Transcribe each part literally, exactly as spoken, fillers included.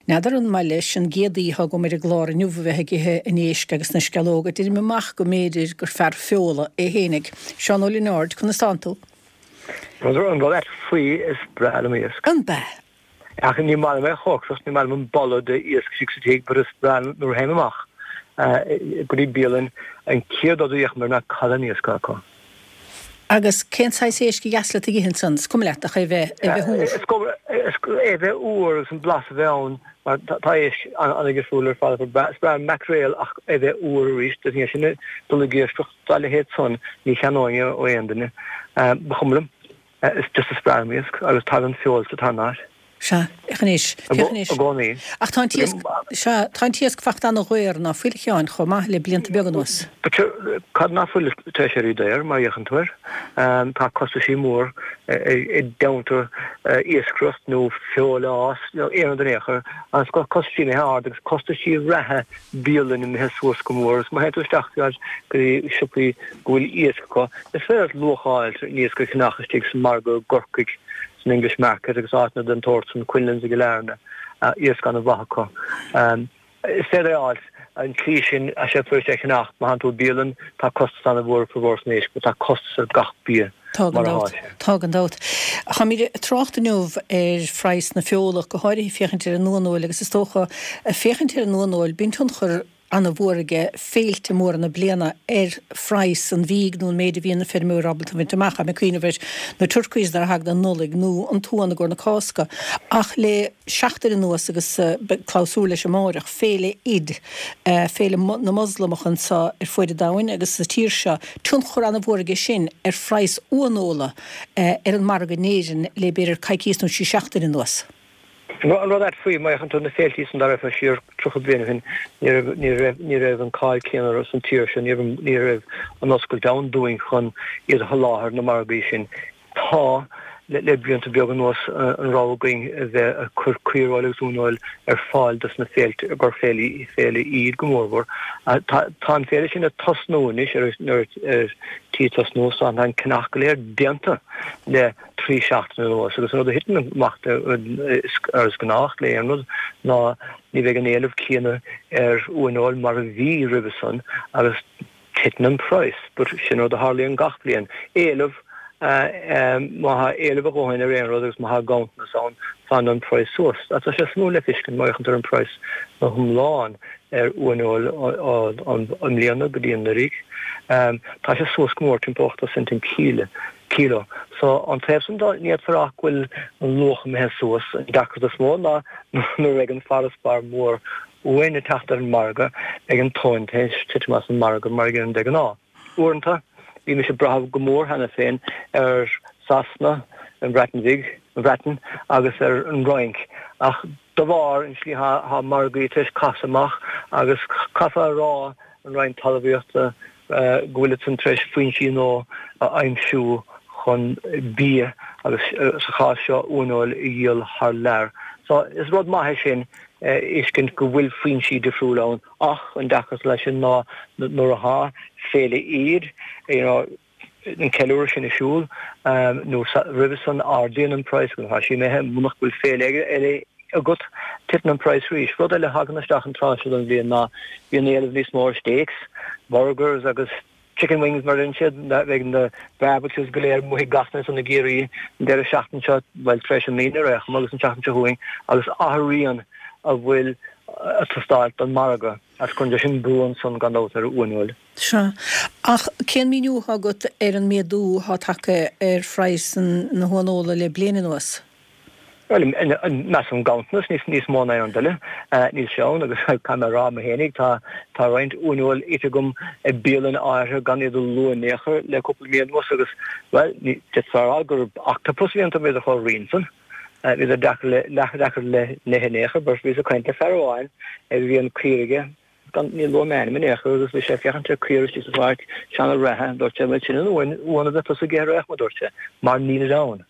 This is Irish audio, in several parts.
N'fheadar an maith leis an gcéad aoi atá agam ar an gclár inniu a bheith ag ithe an éisc agus na sceallóga. Deirim amach go mb'fhéidir gur fear feola é fhéinig. Seán Ó Lionáird, conas tánn tú? An rud faoi is breá liom iasc. An bea? Ach ní maith liom é a chócaireacht, ní maith liom an boladh de iasc istigh sa tigh, but is breá nuair a théim amach go dtí bialann an chéad rud a fhéachaim air ná cad é an iasc acu. Agus cén saghas éisc a dheas leat ag ithe ansan? Is cuma leat ach é bheith é bheith úr. Is cuma é bheith úr agus an blas a bheith ann mar tá éisc an-difriúil ar fad. Is breá an maicréal ach é bheith úr arís. Ní sin dul ag iascaireacht dá leithéid san ní cheannóinn é ó aon duine. Ba chuma liom. Is just is breá liom iasc agus tagann feoil sa tarna háit. Sea, féach anois, féach anois. I gcónaí. Ach tá an t-iasc, sea, tá an t-iasc fachta ana-dhaor ná fuil, a Sheáin, chomh maith le blianta beaga anuas. But cad ná fuil tar éis éirí daor, má fhéachann tú air? Tá costaisí mór i dteannta iascaireacht nó feoil a fhás nó aon rud in aon chor, agus costaisí imithe ard agus costaisí reatha bialann imithe suas go mór. Agus má théann tú isteach go dtí siopaí go bhfuil iasc acu, is féidir leat luach a fháil ar an iasc a cheannach istigh sa margadh i gCorcaigh. san English Market agus áiteanna den tsórt san, Quinlan's i gCill Airne, iasc an-mhaith acu. Is féidir é a fháil an tslí sin, tá sé fuirist é a cheannach. Má théann tú i bialann, tá costas an-mhór formhór san éisc, but tá costas ar gach bia Tá gan mar atá dabht. sé. Tá gan dabht. Táimid ag trácht inniu ar phraghas na feola, go háirithe féachaint ar an uaineoil agus is dócha, féachaint ar an uaineoil, bíonn tionchar ana-mhór aige féilte móra na bliana ar phraghas an bhídh nó an méid a bhíonn na feirmeoirí ábalta a bhaint amach. Táim ag cuimhneamh ar na turkeys nuair a thagann an Nollaig nó an t-uan i gcomhair na Cásca. Ach le seachtain anuas agus beidh clabhsúr leis amáireach, féile Eid, féile na Moslamach anseo ar fuaid an domhain agus sa tír seo, tionchar ana-mhór aige sin ar phraghas uaineola ar an margadh in Éirinn le b'fhéidir coicíos nó trí seachtaine anuas. An rud ait faoi, má fhéachann tú ar na féiltí san dá raibh siar tríocha bliain ó shin, ní raibh, ní raibh, ní raibh an cáil céanna orthu san tír seo, ní raibh, ní raibh an oscailt ann dúinn chun iad a sholáthar na margaí sin. Tá, le, le blianta beaga anuas, an rogha againn a bheith ag cur caoireoil agus uaineoil ar fáil dos na féilte, i gcomhair féile, féile Eid go mórmhór. Tá, tá an féile sin ag tosnú anois, ar, ar, ar tí tosnú, so tá an ceannach go léir déanta le trí seachtaine anuas agus an rud a thiteann amach mar is gnách le aon rud ná ní bheidh an éileamh céanna ar uaineoil mar a bhí roimhe san agus titeann an praghas. But sin rud a tharlaíonn gach bliain. Éileamh, má tá éileamh a dhóthain ar aon rud agus má tá ganntanas ann, fanann an praghas suas. Tá sé suimiúil le feiscint má fhéachann tú ar an praghas go hiomlán ar uaineoil i mbliana go dtí anuraidh, tá sé suas go mór, timpeall ochtó cent an kíle. kíló. So, an taobh san de, ní fhéadfá a rá go bhfuil an luach imithe suas. An deacracht is mó ná nuair a bheidh an farasbarr mór uain ag teacht ar an margadh, beidh an tóin tar éis titim as an margadh mar a dhéanann de ghnáth. Uaireanta, bímis ag brath go mór cheana féin ar Sasana, an Bhreatain Bhig, an Bhreatain agus ar an Fhrainc, ach de bharr an tslí atá margaí tar éis casadh amach agus caithfear a rá, an Roinn Talmhaíochta, go bhfuil siadsan tar éis foinsí nua a aimsiú chun bia agus sa chás seo uaineoil a dhíol thar lear. So is rud maith é sin a fheiscint go bhfuil foinsí difriúla ann ach an deacracht leis sin ná nuair atá féile Eid, you know, an ceiliúradh sin ar siúl nó roimhe san ardaíonn an praghas agus tá sé imithe munach bhfuil féile eile agat titeann an praghas arís. Rud eile a thagann isteach an tráth seo den bhliain ná bíonn éileamh níos mó ar steaks, burgers agus chicken wings mar a deireann siad, beidh na barbecues go léir amuigh ag gach duine ansan i gCiarraí an deireadh seachtaine seo, bhuel tar éis an Aoine ar aon chuma agus an tseachtain seo chugainn agus athraíonn a bhfuil ag teastáil don margadh agus cuireann sé sin brú ansan gan dabht ar uaineoil. Sea. Ach cén míniú atá agat ar an méadú atá tagtha ar phraghas na huaineola le bliain anuas? Bhuel, measaim ganntanas níos mó ná aon rud eile. Níl sé ann agus caithfidh mé a rá mo fhéinig, tá tá roinnt uaineoil ite agam i bialann áirithe gan iad a lua in aon chor le cúpla mí anuas agus, bhuel, d'fhéadfá a rá gur octopus a bhí iontu, bhíodar chomh righin san. Bhíodar deacair le, deacair le n-ithe in aon chor, but bhíos ag caint le fear amháin a bhí an caor aige, gan, ní luafaidh mé ainm in aon chor, agus bhí sé ag féachaint ar caor istigh sa pháirc, seana reatha, dúirt sé, bhuel sin an uan, uan a bheadh tusa ag ithe ar aon chuma, dúirt sé, mar nílid ann.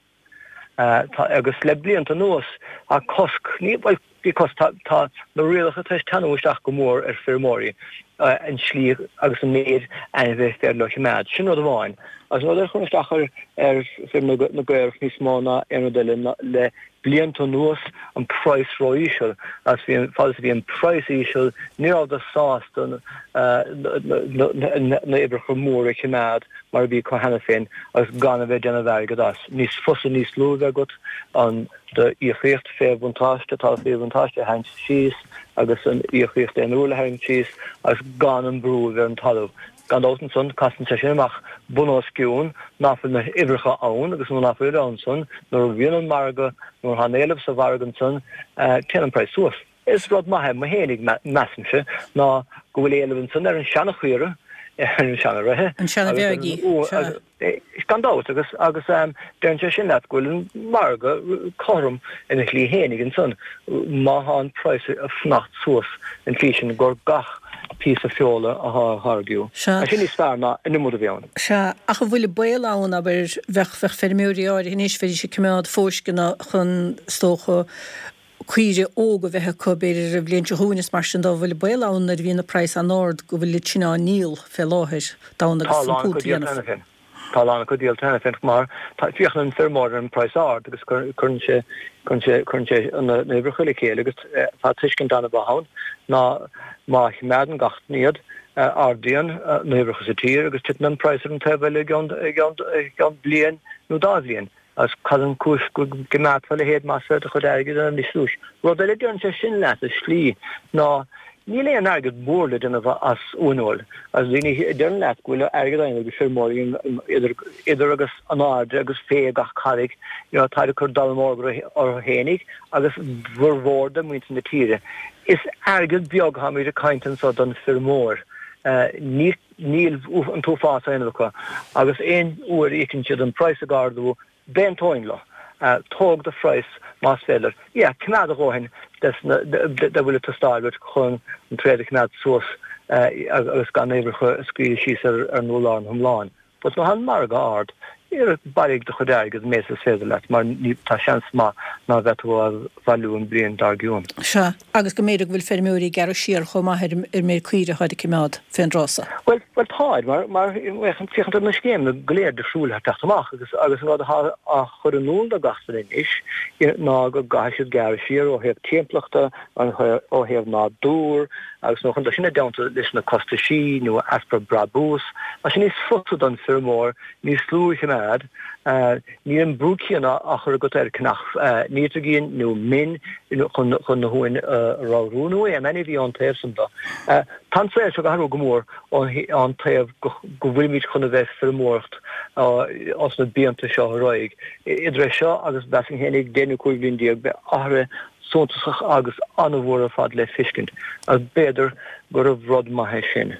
Tá, agus le blianta anuas, tá cosc, ní, bhuel, Because tá tá na rialacha tar éis teannadh isteach go mór ar feirmeoirí an slí agus an méid ainmhithe is féidir leo a choimeád. Sin rud amháin. Agus an rud eile a chuireann isteach ar ar feirm na gcaorach níos mó ná aon rud eile ná le blianta anuas an praghas ró-íseal agus bhí an fad is a bhí an praghas íseal ní rabhadar sásta na huimhreacha móra a choimeád mar a bhí acu cheana féin agus gan a bheith ag déanamh airgead as. Níos fusa níos lú a bheith agat an do íocaíocht fé bhuntáiste, talamh fé bhuntáiste a tharraingt síos agus an íocaíocht aon uair a tharraingt síos agus gan an brú a bheith ar an talamh. Gan dabht ansan, casann sé sin amach bun os cionn ná fuil na huimhreacha ann agus nuair ná fuil ann san, nuair a bhíonn an margadh, nuair atá an éileamh sa mhargadh ansan, téann an praghas suas. Is rud maith é mo fhéinig, measaimse, ná go bhfuil éileamh ansan ar an seana-chaora, ar an seana-reithe. An seana-bheag í, sea. Gan dabht, agus agus deireann sé sin leat go bhfuil an margadh cothrom ina shlí fhéinig ansan, má thá an praghas ag fanacht suas an tslí sin gur gach píosa feola athá á tháirgiú. Sea. Tá sin níos fearr ná an iomad a bhí ann. Sea, ach an bhfuil baol ann, abair, bheadh, bheadh feirmeoirí áirithe anois, bheidís ag coimeád fóisceana chun, is dócha, caoire óga a bheith acu, b'fhéidir an bhliain seo chugainn is mar sin de, an bhfuil baol ann nuair a bhíonn an praghas an-ard go bhfuil iad sin á ndíol fé láthair d'fhonn Tá a agus an lán acu púnt a díolta dhéanamh. cheana féin. Tá a lán acu díolta cheana féin mar tá, féachann an feirmeoir ar an praghas ard agus cuireann sé, cuireann sé, cuireann sé na huimhreacha le chéile agus tá tuiscint an-mhaith ann ná má choimeádann gach duine iad, ardaíonn na huimhreacha sa tír agus titeann an praghas ar an taobh eile i gceann, i gceann, i gceann bliain nó dá bhliain. Agus cad an chúis go gcoimeádfá a leithéid más féidir do chuid airgid a dhéanamh níos luaithe? Rud eile a deireann sé sin leat i slí ná níl aon airgead mór le déanamh as uaineoil. Agus daoine a deireann leat go bhfuil airgead á dhéanamh ag feirmeoirí idir idir agus in airde agus fé gach carraig, you know, táid ag cur dallamullóg orthu fhéinig agus bhformhór de mhuintir na tíre. Is airgead beag atáimid ag caint anso don feirmeoir. Ní níl an t-uafás á dhéanamh acu agus aon uair a fheiceann siad an praghas ag ardú, D'aontóinn leo. Tóg do phraghas más féidir. Yeah, coimeád a dhóthain des na, de bhfuil ag teastáil uait chun an tréad a choimeád suas agus gan na huimhreacha a scaoileadh síos ar an urlár iomlán. But nuair atá an margadh ard, bailigh do chuid airgid an méid is féidir leat mar ní, tá seans maith ná bheidh tú á bhailiú an bhliain dár gcionn. Sea, agus go mb'fhéidir go bhfuil feirmeoirí ag gearradh siar chomh maith ar an méid caoire atáid ag coimeád fén dtráth so. Bhuel, bhuel táid, mar, mar féachann tú ar na scéimeanna go léir difriúil atá ag teacht amach agus, agus an rud atá á chur in iúl do gach duine anois ná go gcaithfidh siad gearradh siar ó thaobh timpeallachta, ó thaobh nádúr agus nó chun dul sin i dteannta leis na costaisí nó easpa brabús, tá sé níos fusa don feirmeoir níos lú a choimeád. Níl an brú céanna á chur agat ar ceannach nítrigin nó min chun chun na huain a ramhrú nó aon ainmhí ón taobh san de. Tá an saol seo ag athrú go mór ón taobh go bhfuilimid chun a bheith feirmeoireacht os na blianta seo ar aghaidh. Idir é seo agus mheasfainn fhéinig deich nó cúig bhliain déag beidh athruithe suntasach agus an-mhór ar fad le feiscint agus b'fhéidir gurbh rud maith é sin.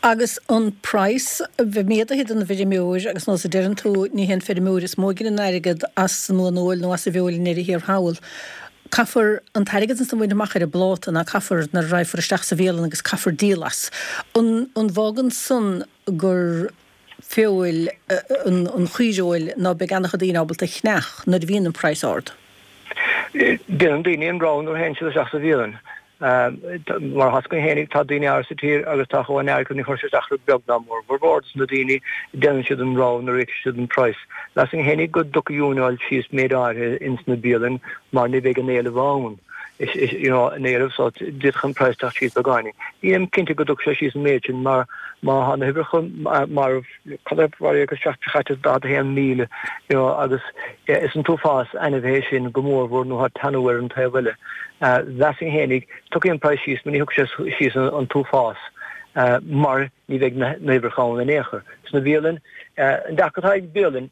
Agus an praghas a bheith méadaithe don bhfeirmeoir, agus nós a deireann tú, ní hé an feirmeoir is mó a ghineann airgead as an uaineoil nó as an bhfeoil i ndeireadh thiar thall. Caithfear an t-airgead ansan a bhaint amach ar an bpláta ná caithfear nuair a raghfar isteach sa bhialann agus caithfear díol as. An an bhfágann san gur feoil an an chaoirfheoil ná beidh an-chuid daoine ábalta a cheannach nuair a bhíonn an praghas ard? Déanann daoine an rogha nuair a théann siad isteach sa bhialann. Mar atá againn fhéinig, tá daoine áirithe sa tír agus tá a dhóthain airgid acu, ní chuirfidh sé isteach orthu beag ná mór. Formhór dos na daoine, déanann siad an rogha nuair a fheicfidh siad an praghas. Mheasfainn fhéinig go dtiocfaidh uaineoil síos méid áirithe ins na bialainn mar ní bheidh an éileamh ann. You know, an éileamh so d'fhéadfadh an praghas teacht síos beagáinín. Nílim cinnte go dtiocfaidh sé síos an méid sin mar má tá na huimhreacha marbh, Cad é mar agus seacht seo caite daichead a haon míle you know agus is an t-uafás ainmhithe é sin go mórmhór nuair atá teannadh ar an taobh eile. Mheasfainn fhéinig, tiocfaidh an praghas síos, mar ní thiocfaidh sé síos an t-uafás mar ní bheidh na huimhreacha ann in aon chor. Sna bialainn, an deacracht atá ag bialainn,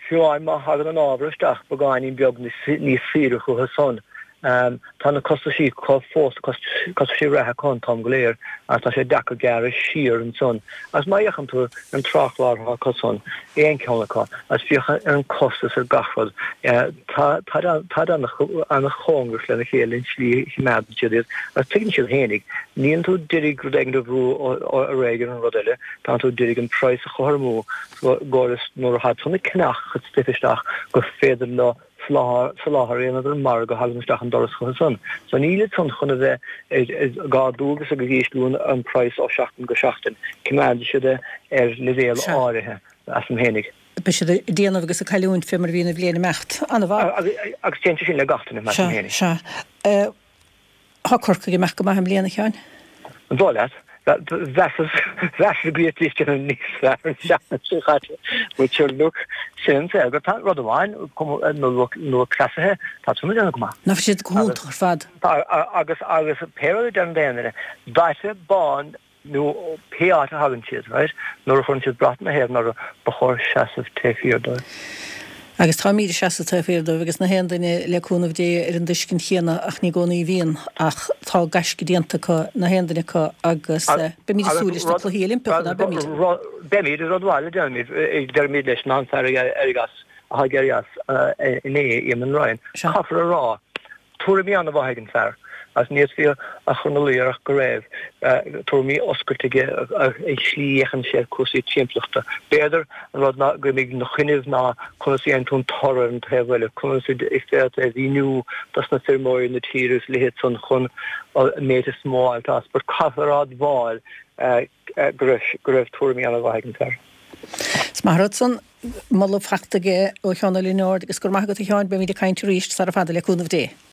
Fiú amháin má thagann an ábhar isteach beagáinín beag níos saoire chucu san, tá na costaisí acu fós, costaisí reatha acu an t-am go léir agus tá sé deacair gearradh siar ansan. Agus má fhéachann tú ar an tráthchlár atá acu san, aon cheann acu, agus féach ar an costas ar gach rud, táid an-chóngarach lena chéile an tslí a choimeádann siad iad agus tuigeann siad fhéinig, níleann tú d'iarraidh rud éigin a bhrú ar aghaidh ar an rud eile, tánn tú d'iarraidh an praghas a chothromú. gcóras nuair atá tú ag ceannach a chuid stuif isteach gur féidir leo soláthar a dhéanamh don mhargadh a thagann isteach an doras chucu san. So nílid san chun a bheith ag ardú agus ag ísliú an praghas ó sheachtain go seachtain. Coimeádfaidh siad é ar leibhéal áirithe, measaim fhéinig. Beidh siad ag déanamh agus ag cailliúint fé mar a bhíonn an bhliain ag imeacht. An-mhaith. Agus téann sé sin le gach duine, measaim féinig. Sea, sea. Tá Corcaigh ag imeacht go maith i mbliana, a Sheáin. An dóigh leat? Mheasas go bhféadfaidís déanamh níos fearr an tseachtain seo caite. But sure look, sin an saol. Tá rud amháin, na lúthchleasaithe, tá siad ag déanamh go maith. Ná tá siad go hiontach ar fad. Agus, agus pé rud a deireann aon duine, daite bán nó pé áit a thagann siad, right, nuair a chuireann siad brat na hÉireann orthu, ba chóir seasamh taobh thiar dóibh. Agus táimid ag seasamh taobh thiar dóibh agus na haon duine le cúnamh Dé ar an dtuiscint chéanna ach ní i gcónaí a bhíonn ach tá gaisce déanta acu, na haon duine acu agus beimid ag súil leis na Cluichí Oilimpeacha, ná beimid? Beimid, rud amháin a déarfaimid, deirimid leis ná an fear a éirigh as, a d'éirigh as inné, Eamon Ryan. Caithfear a rá, Tuairimí an-mhaith ag an fear, agus ní fhéadfaí a chur ina luí air ach go raibh tuairimí oscailte aige ar an slí a fhéachann sé ar cúrsaí timpeallachta. B'fhéidir an rud ná go mbeidh ina choinnibh ná conas a dhéanann tú an toradh ar an taobh eile, conas is féidir é a mhíniú dos na feirmeoirí na tíre agus a leithéid san chun an méid is mó a fháilt as. But caithfear a admháil go raibh go raibh tuairimí an-mhaith ag an fear. Is maith an rud san moladh fachta aige ó Sheán Ó Lionáird agus go raibh maith agat a Sheáin, beimid ag caint arís sara fada le cúnamh Dé.